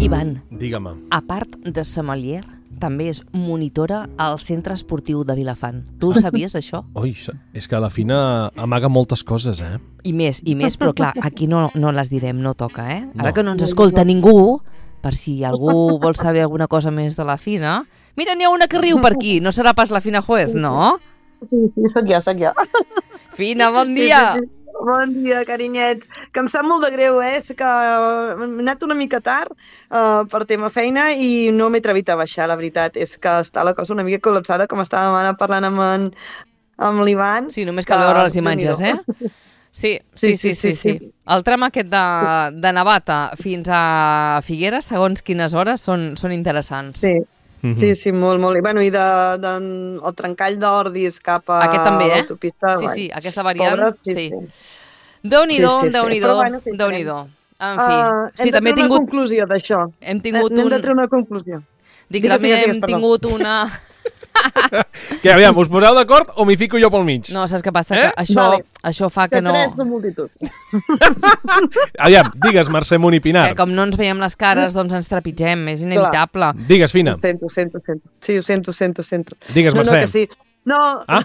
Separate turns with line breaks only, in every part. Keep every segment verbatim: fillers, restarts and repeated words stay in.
Ivan,
Digue-me.
a part de sommelier, també és monitora al Centre Esportiu de Vilafant. Tu sabies, això?
Ui, és que la Fina amaga moltes coses, eh?
I més, i més, però clar, aquí no, no les direm, no toca, eh? Ara
No.
que no ens escolta ningú, per si algú vol saber alguna cosa més de la Fina... Mira, n'hi ha una que riu per aquí, no serà pas la Fina Juez, no?
Sí, sí, sóc jo, sóc jo.
Fina, bon dia!
Sí, sí, sí. Bon dia, carinyets. Que em sap molt de greu, eh? És que he anat una mica tard uh, per tema feina i no m'he atrevit a baixar, la veritat. És que està la cosa una mica col·lapsada, com estàvem ara parlant amb, en, amb l'Ivan.
Sí, només cal veure les imatges, eh? Sí, sí, sí, sí, sí. El tram aquest de, de Navata fins a Figueres, segons quines hores, són, són interessants.
Sí. Sí, sí, molt, molt. I, bueno, i de, de, el trencall d'Ordis cap a
aquest també, eh?
l'autopista.
Sí, sí, aquesta variant,
Pobres,
sí.
sí,
sí. Déu-n'hi-do,
Sí, sí, sí.
Déu-n'hi-do,
Però, bueno, sí,
Déu-n'hi-do. En fi,
Uh,
sí,
hem de
també he
treure
tingut...
una conclusió d'això.
Hem tingut
Hem
un...
de treure una conclusió.
Dic,
Digues,
també
digues,
hem
digues, perdó.
tingut una...
Que aviam, us poseu d'acord o m'hi fico jo pel mig?
No, saps què passa?
Eh?
Que això,
Vale.
això fa que
Que
no...
tres de multitud.
Aviam, digues, Mercè Munt i Pinar.
Que com no ens veiem les cares, doncs ens trepitgem, és inevitable.
Digues, Fina.
Ho sento, ho sento, ho sento. Sí, ho sento, ho sento, ho sento.
Digues,
no,
Mercè.
no, que sí. No,
Ah,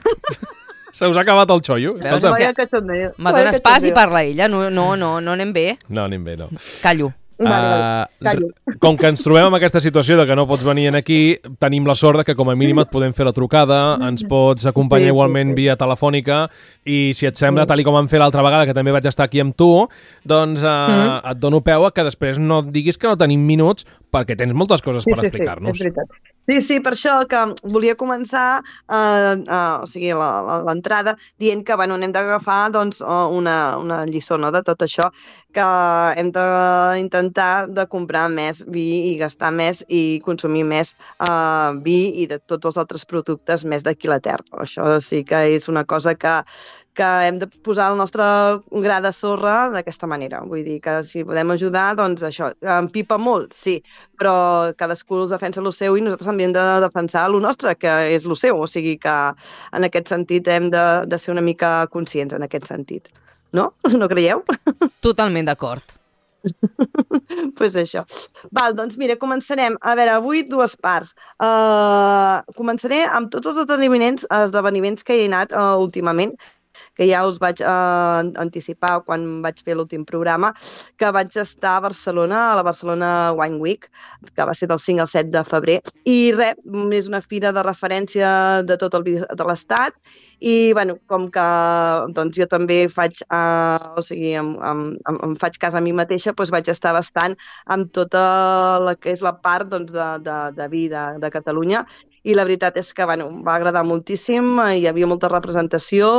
se us ha acabat el xollo.
Veus?
Escolta.
que-
vaya cachondeo.
Me dones pas i parla ella, no, no, no, no anem bé.
No, anem bé, no.
Callo.
Vale, vale.
Uh,
Callo.
com que ens trobem amb aquesta situació de que no pots venir aquí, tenim la sort de que com a mínim et podem fer la trucada, ens pots acompanyar
Sí, sí,
igualment
sí.
via telefònica i si et sembla, tal i com vam fer l'altra vegada, que també vaig estar aquí amb tu, doncs uh,
Mhm.
et dono peu a que després no et diguis que no tenim minuts perquè tens moltes coses
Sí,
per
sí,
explicar-nos.
sí, és veritat. Sí, sí, per això que volia començar eh, eh, o sigui, la- la- l'entrada dient que bueno, hem d'agafar doncs, eh, una, una lliçó, no?, de tot això, que hem d'intentar de comprar més vi i gastar més i consumir més eh, vi i de tots els altres productes més d'aquí a la terra. Això sí que és una cosa que que hem de posar el nostre gra de sorra d'aquesta manera. Vull dir que si podem ajudar, doncs això, empipa molt, sí, però cadascú es defensa el seu i nosaltres també hem de defensar el nostre, que és el seu. O sigui que en aquest sentit hem de, de ser una mica conscients en aquest sentit. No? No creieu?
Totalment d'acord.
Doncs pues això. Val, doncs mira, començarem. A veure, avui dues parts. Uh, començaré amb tots els esdeveniments, esdeveniments que he anat uh, últimament, que ja us vaig uh, anticipar quan vaig fer l'últim programa, que vaig estar a Barcelona, a la Barcelona Wine Week, que va ser del cinc al set de febrer, i res, és una fira de referència de tot el vi de l'Estat, i bueno, com que doncs, jo també faig, uh, o sigui, em, em, em, em faig cas a mi mateixa, doncs vaig estar bastant amb tota la que és la part doncs, de, de, de vi de, de Catalunya, i la veritat és que bueno, va agradar moltíssim, hi havia molta representació,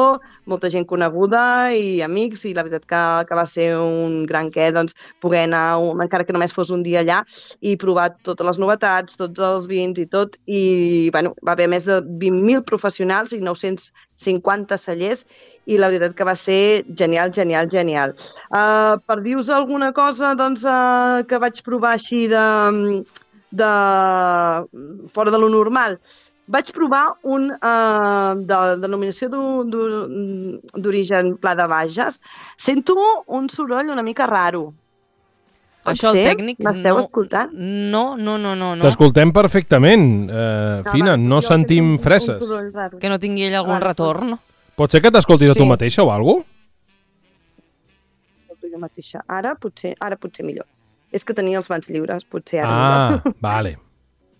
molta gent coneguda i amics, i la veritat que, que va ser un gran què, doncs, poder anar, un, encara que només fos un dia allà, i provar totes les novetats, tots els vins i tot, i bueno, va haver més de vint mil professionals i nou-cents cinquanta cellers, i la veritat que va ser genial, genial, genial. Uh, per dir-vos alguna cosa doncs, uh, que vaig provar així de... de fora de lo normal. Vaig provar un uh, de denominació d'origen Pla de Bages. Sento un soroll una mica raro. Pot
Això el
ser?
tècnic...
M'esteu
no,
escoltant?
No, no, no, no. no.
T'escoltem perfectament, uh, Fina,
va,
no
jo
sentim
sento un-
freses.
Un soroll raro.
Que no tingui ell algun
Vale,
retorn.
Pot ser que t'escoltis a tu
Sí.
mateixa o alguna
Jo mateixa. Ara potser, ara potser millor. És que tenia els mans lliures, potser ara
Ah,
millor.
vale.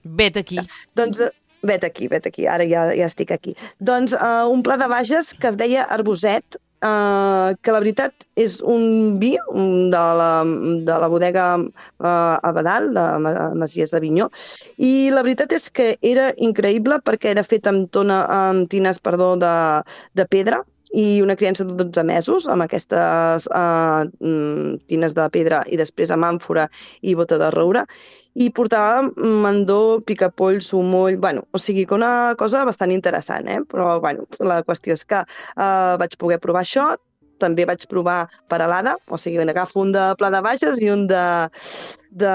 Vet aquí.
Doncs eh, vet aquí, vet aquí, ara ja, ja estic aquí. Doncs uh, un pla de Bages que es deia Arboset, uh, que la veritat és un vi un de, la, de la bodega uh, Abadal, de Ma- Masies de Vinyó, i la veritat és que era increïble perquè era fet amb, tona, amb tines perdó, de, de pedra, i una criança de dotze mesos amb aquestes uh, tines de pedra i després amb àmfora i bota de roure, i portava mandó, picapoll, sumoll, bueno, o sigui que una cosa bastant interessant, eh? Però bueno, la qüestió és que uh, vaig poder provar això, també vaig provar peralada, o sigui, agafo un de Pla de Bages i un de de,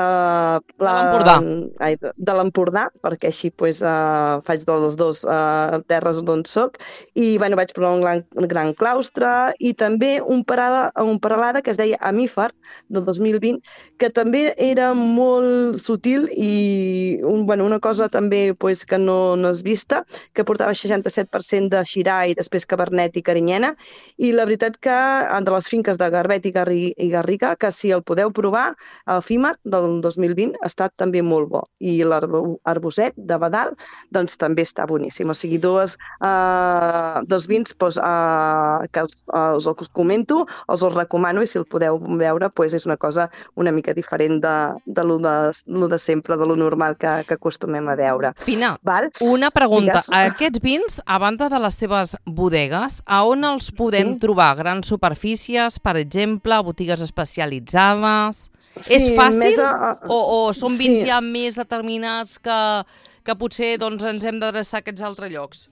de l'Empordà,
de, de l'Empordà, perquè així pues, uh, faig de les dues uh, terres d'on soc, i bueno, vaig provar un gran, un gran claustre, i també un, parada, un paralada que es deia Amífar, del dos mil vint, que també era molt sutil i un, bueno, una cosa també pues, que no, no és vista, que portava seixanta-set per cent de Xirà i després Cabernet i Carinyena, i la veritat que de les finques de Garbet i, Garri, i Garriga, que si el podeu provar, el Fímar del dos mil vint ha estat també molt bo, i l'Arboset de Badal doncs també està boníssim, o sigui, dues, uh, dos vins pues, uh, que us, uh, us els comento, us els recomano, i si el podeu veure pues, és una cosa una mica diferent de, de, lo de, lo de sempre, de lo normal que, que acostumem a veure.
Fina,
Val?
una pregunta.
Digues.
Aquests vins, a banda de les seves bodegues, a on els podem
Sí.
trobar? Grans superfícies, per exemple, botigues especialitzades?
Sí,
És fàcil
més a-
o, o són vins
sí.
ja més determinats que, que potser doncs, ens hem d'adreçar a aquests altres llocs?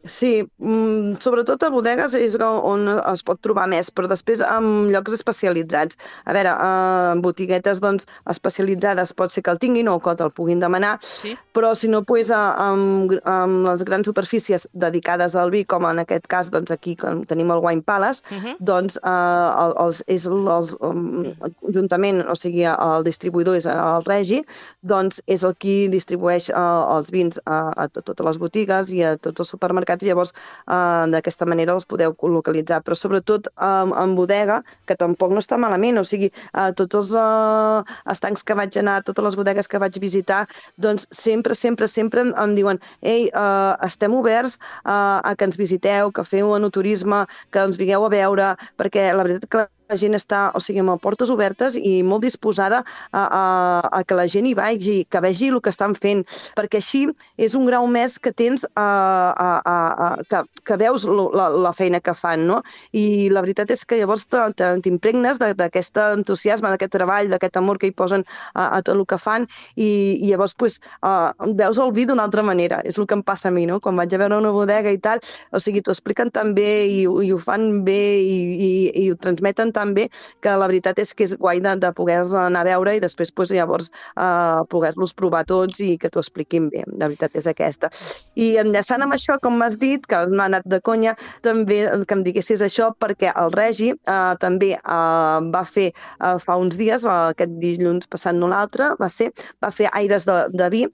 Sí, mm, sobretot a bodegues és on es pot trobar més, però després en llocs especialitzats. A veure, en botiguetes doncs, especialitzades pot ser que el tinguin o que te'l puguin demanar,
Sí.
però si no, pues, amb, amb les grans superfícies dedicades al vi, com en aquest cas doncs, aquí que tenim el Wine Palace,
Uh -huh.
doncs eh, els, és els, um, juntament, o sigui, el distribuïdor és el Regi, doncs és el qui distribueix uh, els vins a, a totes les botigues i a tots els supermercats, i llavors uh, d'aquesta manera els podeu localitzar, però sobretot um, en bodega, que tampoc no està malament, o sigui, uh, tots els uh, estancs que vaig anar, totes les bodegues que vaig visitar, doncs sempre, sempre, sempre em, em diuen ei, uh, estem oberts uh, a que ens visiteu, que feu enoturisme, que ens vingueu a veure, perquè la veritat que la gent està, o sigui, amb portes obertes i molt disposada a, a, a que la gent hi vagi, que vegi el que estan fent, perquè així és un grau més que tens, a, a, a, a, que, que veus la, la feina que fan, no? I la veritat és que llavors t'impregnes d'aquest entusiasme, d'aquest treball, d'aquest amor que hi posen a, a tot el que fan, i, i llavors pues, uh, veus el vi d'una altra manera. És el que em passa a mi, no? Quan vaig a veure una bodega i tal, o sigui, t'ho expliquen tan bé i, i ho fan bé i, i, i ho transmeten tan bé que la veritat és que és guai de, de poder-los anar a veure i després pues, llavors uh, poder-los provar tots i que t'ho expliquin bé. La veritat és aquesta. I enllaçant amb això, com m'has dit, que m'ha anat de conya, també que em diguessis això, perquè el Regi uh, també uh, va fer uh, fa uns dies, uh, aquest dilluns passat no l'altre, va ser, va fer Aires de, de Vi,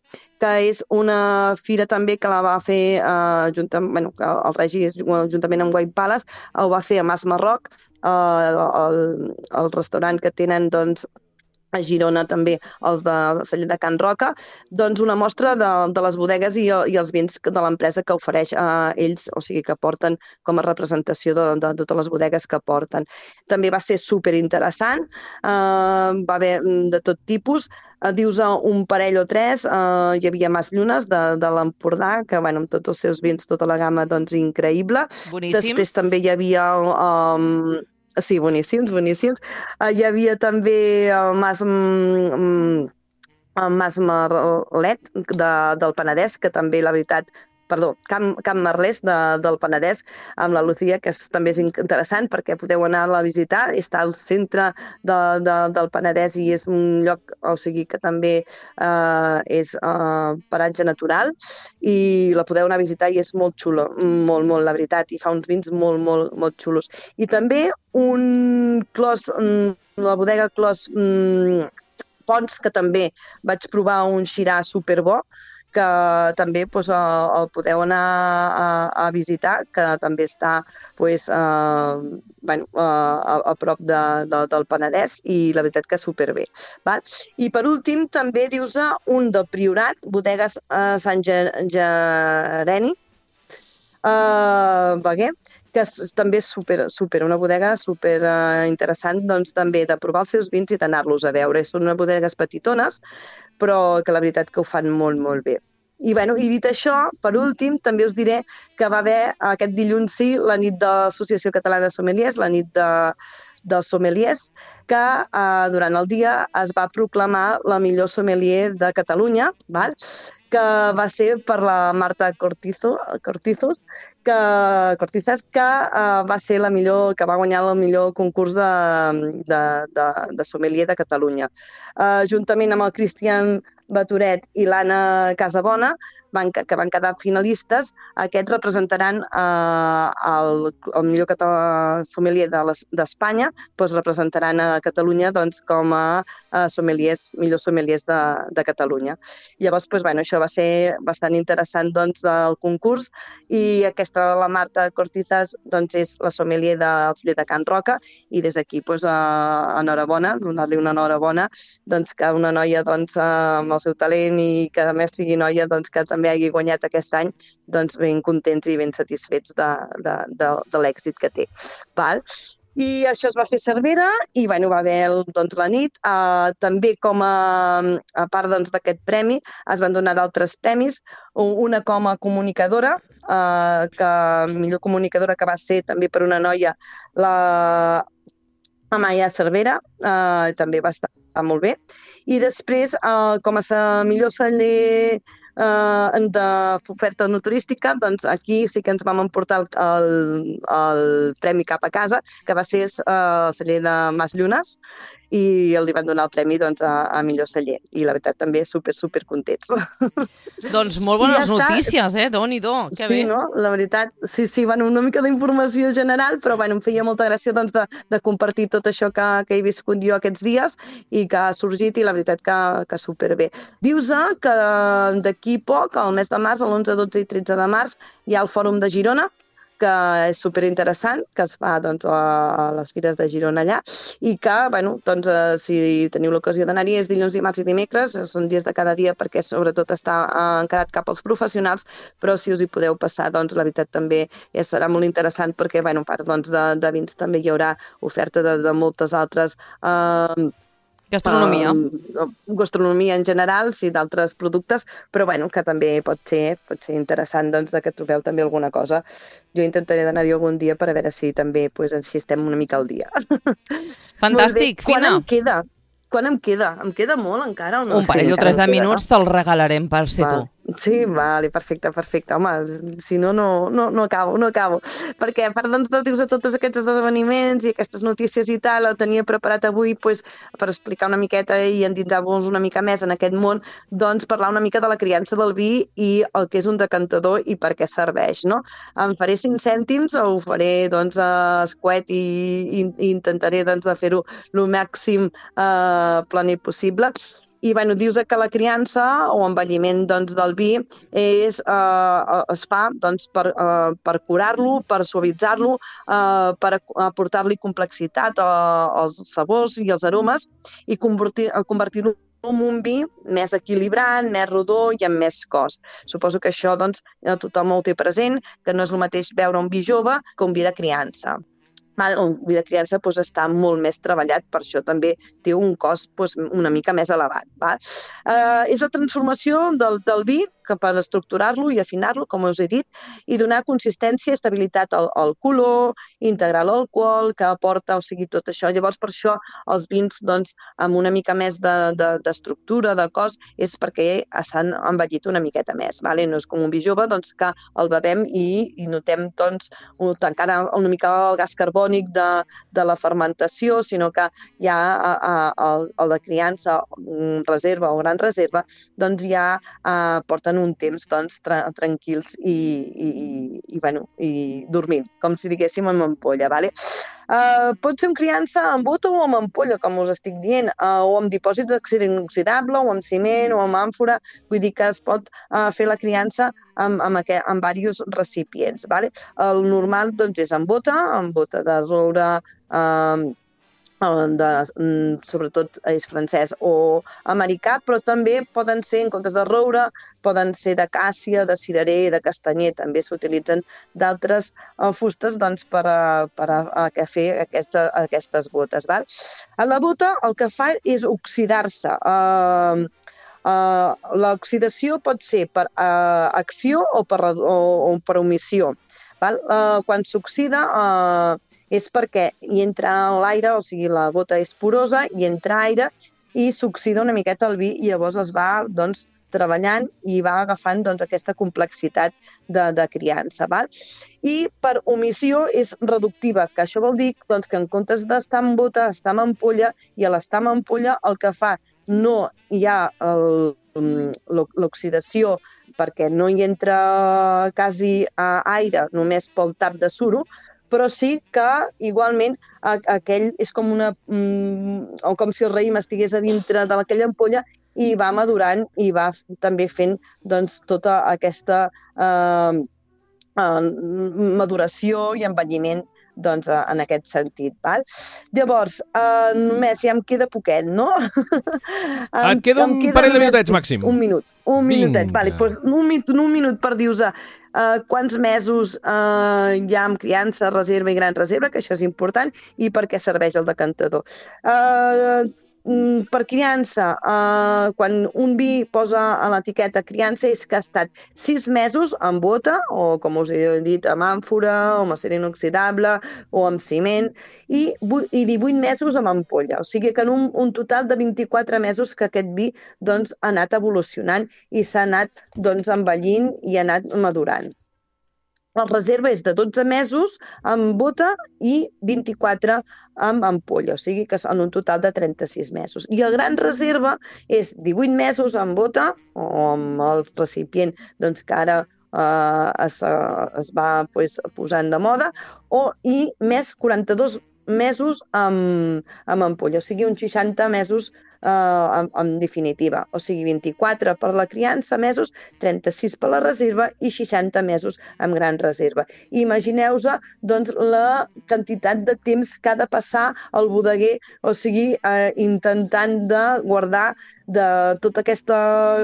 que és una fira també que la va fer uh, juntament, bueno, que el Regi és juntament amb Wine Palace, ho va fer a Mas Marroc, uh, el, el restaurant que tenen doncs, a Girona també els de celler de Can Roca, doncs una mostra de, de les bodegues i, i els vins de l'empresa que ofereix a ells, o sigui que porten com a representació de, de, de totes les bodegues que porten. També va ser superinteressant, eh, va haver de tot tipus, eh, dius un parell o tres, eh, hi havia Mas Llunes de, de l'Empordà, que bueno, amb tots els seus vins, tota la gamma, doncs increïble.
Boníssims.
Després també hi havia el... Um, Sí, boníssims, boníssims. Uh, hi havia també el Mas, mm, el Mas Marlet de, del Penedès, que també, la veritat, perdó, Camp, Camp Merlès de, del Penedès, amb la Lucía, que és, també és interessant perquè podeu anar-la a visitar. Està al centre de, de, del Penedès i és un lloc, o sigui, que també eh, és eh, paratge natural i la podeu anar a visitar i és molt xulo, molt, molt, la veritat, i fa uns vins molt, molt, molt xulos. I també un clos, la bodega Clos Pons, que també vaig provar un Xirà superbo, que també doncs, el podeu anar a, a visitar, que també està doncs, eh, bueno, a, a prop de, de, del Penedès i la veritat que superbé. Val? I per últim també dius un del Priorat, bodegues a Sant Gereni, Uh, Beguer, que és, també és super, super, una bodega super uh, interessant, doncs també de provar els seus vins i d'anar-los a veure. Són unes bodegues petitones, però que la veritat que ho fan molt, molt bé. I, bueno, i dit això, per últim, també us diré que va haver aquest dilluns sí la nit de l'Associació Catalana de Sommeliers, la nit de, dels sommeliers, que eh, durant el dia es va proclamar la millor sommelier de Catalunya, val? Que va ser per la Marta Cortizo, Cortizos, que Cortizas, que uh, va ser la millor, que va guanyar el millor concurs de, de, de, de sommelier de Catalunya. Uh, juntament amb el Cristian Baturet i l'Anna Casabona, van, que van quedar finalistes, aquests representaran eh, el, el millor català, sommelier d'Espanya, de doncs representaran a Catalunya doncs, com a, a sommeliers, millors sommeliers de, de Catalunya. Llavors, doncs, bueno, això va ser bastant interessant doncs, del concurs, i aquesta, la Marta Cortizas, doncs, és la sommelier del celler de Can Roca, i des d'aquí, doncs, eh, enhorabona, donar-li una enhorabona, doncs, que una noia doncs, amb el seu talent i que a més sigui noia doncs, que també hagi guanyat aquest any, doncs ben contents i ben satisfets de, de, de, de l'èxit que té. Val? I això es va fer a Cervera i bueno, va haver doncs, la nit. Uh, també com a, a part doncs, d'aquest premi es van donar d'altres premis, una com a comunicadora, uh, que millor comunicadora que va ser també per una noia, la Amaya Cervera, uh, també va estar molt bé. I després, uh, com a millor celler uh, d'oferta no turística, doncs aquí sí que ens vam emportar el, el premi cap a casa, que va ser uh, el celler de Mas Llunes, i li van donar el premi doncs, a, a millor celler. I la veritat també super, super contents.
Doncs molt bones ja notícies, eh? Déu-n'hi-do, que
sí,
bé.
No? La veritat, sí, sí, bueno, una mica d'informació general, però bueno, em feia molta gràcia doncs, de, de compartir tot això que, que he viscut jo aquests dies i que ha sorgit i la veritat que, que superbé. Dius que d'aquí poc, al mes de març, l'onze, dotze i tretze de març, hi ha el Fòrum de Girona, que és superinteressant, que es fa doncs, a les Fires de Girona allà, i que, bueno, doncs, eh, si teniu l'ocasió d'anar-hi, és dilluns, dimarts i dimecres, són dies de cada dia perquè sobretot està encarat cap als professionals, però si us hi podeu passar, doncs la veritat també ja serà molt interessant perquè, bueno, a part doncs, de, de vins també hi haurà oferta de, de moltes altres eh,
Gastronomia.
Uh, gastronomia en general, sí, d'altres productes, però bueno, que també pot ser, pot ser interessant doncs, de que trobeu també alguna cosa. Jo intentaré d'anar-hi algun dia per a veure si també pues, així estem una mica al dia.
Fantàstic, Fina.
Quan em queda? Quan em queda? Em queda molt encara o no?
Un parell
sí,
o tres de
queda,
minuts
no?
te'l regalarem per ser
Va.
tu.
Sí, vale, perfecte, perfecte. Home, si no, no, no, no acabo, no acabo. Perquè a part doncs, de dius a tots aquests esdeveniments i aquestes notícies i tal, el tenia preparat avui pues, per explicar una miqueta i endinsar-vos una mica més en aquest món, doncs parlar una mica de la criança del vi i el que és un decantador i per què serveix, no? Em faré cinc cèntims, ho faré doncs a escuet i, i, i intentaré doncs, de fer-ho el màxim eh, planer possible. I bueno, dius que la criança o envelliment doncs, del vi és, eh, es fa doncs, per, eh, per curar-lo, per suavitzar-lo, eh, per aportar-li complexitat als sabors i als aromes i convertir, convertir-lo en un vi més equilibrat, més rodó i amb més cos. Suposo que això doncs, tothom ho té present, que no és el mateix beure un vi jove que un vi de criança. Un vi de criança doncs, està molt més treballat, per això també té un cost doncs, una mica més elevat. Va? Eh, és la transformació del, del vi que per estructurar-lo i afinar-lo, com us he dit, i donar consistència i estabilitat al, al color, integrar l'alcohol que aporta, o sigui, tot això. Llavors, per això els vins doncs, amb una mica més d'estructura, de, de, de cos, és perquè s'han envellit una miqueta més. Vale? No és com un vi jove doncs, que el bevem i, i notem doncs, encara una mica el gas carbònic de, de la fermentació, sinó que ja a, a, el, el de criança, reserva o gran reserva, doncs ja eh, porten un temps doncs, tra tranquils i, i, i, bueno, i dormint, com si diguéssim amb ampolla. Vale? Uh, pot ser amb criança amb bota o amb ampolla, com us estic dient, uh, o amb dipòsits d'accident inoxidable, o amb ciment, o amb àmfora, vull dir que es pot uh, fer la criança amb, amb, aquest, amb diversos recipients. Vale? El normal doncs, és amb bota, amb bota de roure, uh, de, sobretot és francès o americà, però també poden ser, en comptes de roure, poden ser de càssia, de cirerer, de castanyer, també s'utilitzen d'altres uh, fustes doncs, per, a, per a, a fer aquesta, aquestes botes. Val? A la bota el que fa és oxidar-se. Uh, uh, L'oxidació pot ser per uh, acció o per, o, o per omissió. Val? Uh, quan s'oxida uh, és perquè hi entra l'aire, o sigui, la bota és porosa, hi entra aire i s'oxida una miqueta el vi i llavors es va doncs, treballant i va agafant doncs, aquesta complexitat de, de criança. Val? I per omissió és reductiva, que això vol dir doncs, que en comptes d'estar en bota, està en ampolla, i a l'estar en ampolla el que fa no hi ha l'oxidació perquè no hi entra quasi aire, només pel tap de suro, però sí que igualment aquell és com una... o com si el raïm estigués a dintre d'aquella ampolla i va madurant i va també fent doncs, tota aquesta eh, maduració i envelliment doncs, en aquest sentit. Val? Llavors, eh, només ja em queda poquet, no?
Et queda un parell de minutets màxim.
Un minut, un minutet. Vale, doncs un, minut, un minut per dir-vos uh, quants mesos uh, hi ha amb criança, reserva i gran reserva, que això és important, i per què serveix el decantador. Uh, per criança, uh, quan un vi posa a l'etiqueta criança és que ha estat sis mesos amb bota, o com us he dit, amb àmfora, o amb acer inoxidable, o amb ciment, i, i divuit mesos amb ampolla. O sigui que en un, un total de vint-i-quatre mesos que aquest vi doncs, ha anat evolucionant i s'ha anat doncs, envellint i ha anat madurant. La reserva és de dotze mesos amb bota i vint-i-quatre amb ampolla, o sigui que en un total de trenta-sis mesos. I el gran reserva és divuit mesos amb bota o amb el recipient doncs, que ara eh, es, es va pues, posant de moda, o, i més quaranta-dos mesos amb, amb ampolla, o sigui uns seixanta mesos eh, en, en definitiva, o sigui vint-i-quatre per la criança mesos, trenta-sis per la reserva i seixanta mesos amb gran reserva. Imagineu-vos doncs, la quantitat de temps que ha de passar el bodeguer, o sigui, eh, intentant de guardar de tota aquesta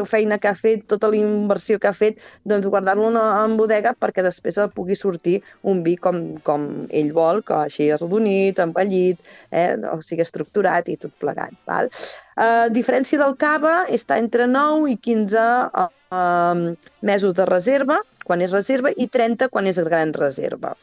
feina que ha fet, tota la inversió que ha fet, doncs guardar-lo en bodega perquè després pugui sortir un vi com, com ell vol, que així arrodonit, envellit, eh? O sigui, estructurat i tot plegat. Val? A diferència del cava, està entre nou i quinze uh, uh, mesos de reserva, quan és reserva, i trenta quan és gran reserva.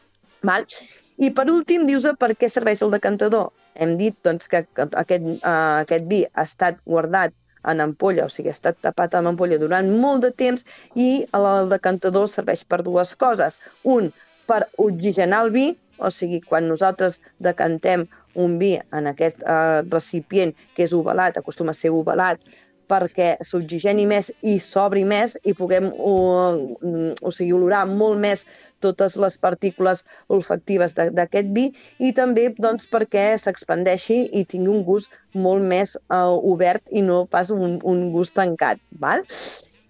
Val? I per últim, dius per què serveix el decantador. Hem dit doncs, que aquest, uh, aquest vi ha estat guardat en ampolla, o sigui, ha estat tapat amb ampolla durant molt de temps, i el decantador serveix per dues coses. Un, per oxigenar el vi, o sigui, quan nosaltres decantem un vi en aquest eh, recipient que és ovalat, acostuma a ser ovalat, perquè s'oxigeni més i s'obri més i puguem o, o sigui, olorar molt més totes les partícules olfactives d'aquest vi, i també doncs, perquè s'expandeixi i tingui un gust molt més uh, obert i no pas un, un gust tancat. Val?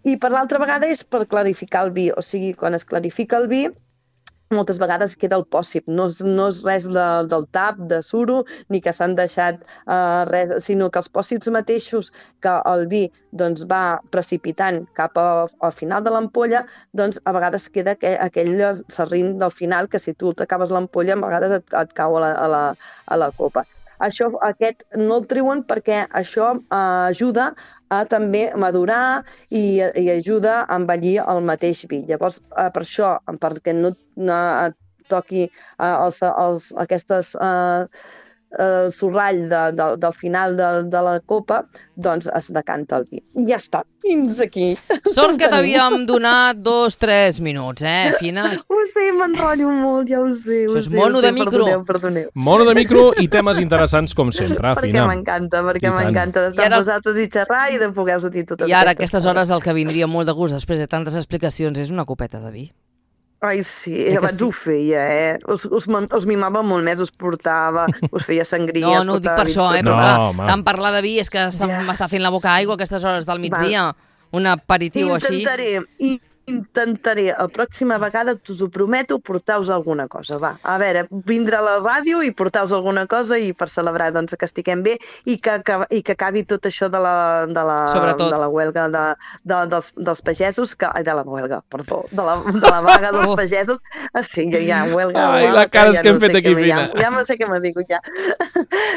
I per l'altra vegada és per clarificar el vi, o sigui, quan es clarifica el vi, moltes vegades queda el pòssip, no és, no és res de, del tap, de suro, ni que s'han deixat uh, res, sinó que els pòssips mateixos que el vi doncs, va precipitant cap a, al final de l'ampolla, doncs a vegades queda aquell, aquell serrín del final que si tu t'acabes l'ampolla, a vegades et, et cau a la, a, la, a la copa. Això, aquest no el treuen perquè això eh, ajuda a també madurar i, i ajuda a envellir el mateix vi. Llavors, eh, per això, perquè no, no toqui eh, els, els, aquestes eh, eh, sorrall de, de, del final de, de la copa, doncs es decanta el vi. I ja està, fins aquí.
Sort que t'havíem donat dos, tres minuts, eh, Fina?
Ho sé, m'enrotllo molt, ja ho sé. Ho
Això és
sé,
mono
ho sé,
de micro.
Perdoneu, perdoneu.
Mono de micro i temes interessants com sempre,
perquè
Fina.
m'encanta, perquè m'encanta d'estar
ara...
amb vosaltres i xerrar i de poder-vos dir totes
I ara,
aquestes
aquestes hores, el que vindria molt de gust després de tantes explicacions és una copeta de vi.
Ai, sí,
Eh que
abans
sí?
ho feia, eh? Us, us, man- us mimava molt més, us portava, us feia sangria.
No,
us
no ho dic
portava
per això, eh?
vins
Però
No,
clar,
home.
tant parlar de vi és que se'm
Ja.
m'està fent la boca aigua a aquestes hores del migdia. Un aperitiu així.
Intentaré, i intentaré, la pròxima vegada, us ho prometo, portar-vos alguna cosa, va. A veure, vindre a la ràdio i portar-vos alguna cosa i per celebrar doncs, que estiguem bé i que, que, i que acabi tot això de la, de la,
Sobretot.
de la huelga de, de, dels, dels pagesos, que, ai, de la huelga, perdó, de la, de la vaga dels
Uf.
pagesos. Ah, sí, ja, ja, huelga,
Ai,
huelga,
la cara
ja
que hem
no sé
fet aquí,
què me-
Fina.
Ja, ja no sé què me dic, ja.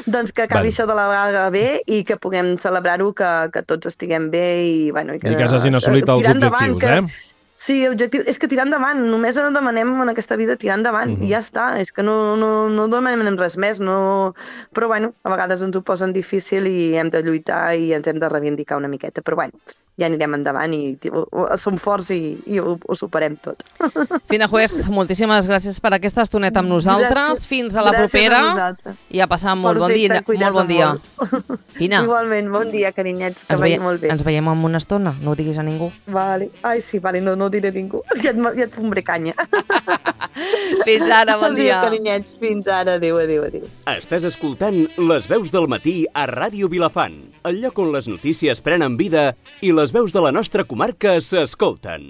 Doncs que acabi
Vale.
això de la vaga bé i que puguem celebrar-ho, que, que tots estiguem bé i, bueno, i que,
I que s'hagin assolit els
tirar endavant,
objectius,
que-
eh?
Sí, objectiu. És que tirar endavant, només demanem en aquesta vida tirar endavant,
Mhm.
i ja està, és que no, no, no demanem res més, no... però bueno, a vegades ens ho posen difícil i hem de lluitar i ens hem de reivindicar una miqueta, però bueno, ja anirem endavant i tio, som forts i, i ho, ho superem tot.
Fina Juez, moltíssimes gràcies per aquesta estoneta amb nosaltres. Gràcies, Fins a la propera. I a passar molt bon dia. Molt bon dia. Fina.
Igualment, bon dia, carinyets, que vagi molt bé.
Ens veiem en una estona, no ho diguis a ningú.
Vale. Ai, sí, vale, no, no ho diré a ningú. Ja et, ja et fumbré canya.
Fins ara, bon dia.
Adéu, carinyets, fins ara. Adéu, adéu, adéu.
Estàs escoltant Les Veus del Matí a Ràdio Vilafant, el lloc on les notícies prenen vida i les veus de la nostra comarca s'escolten.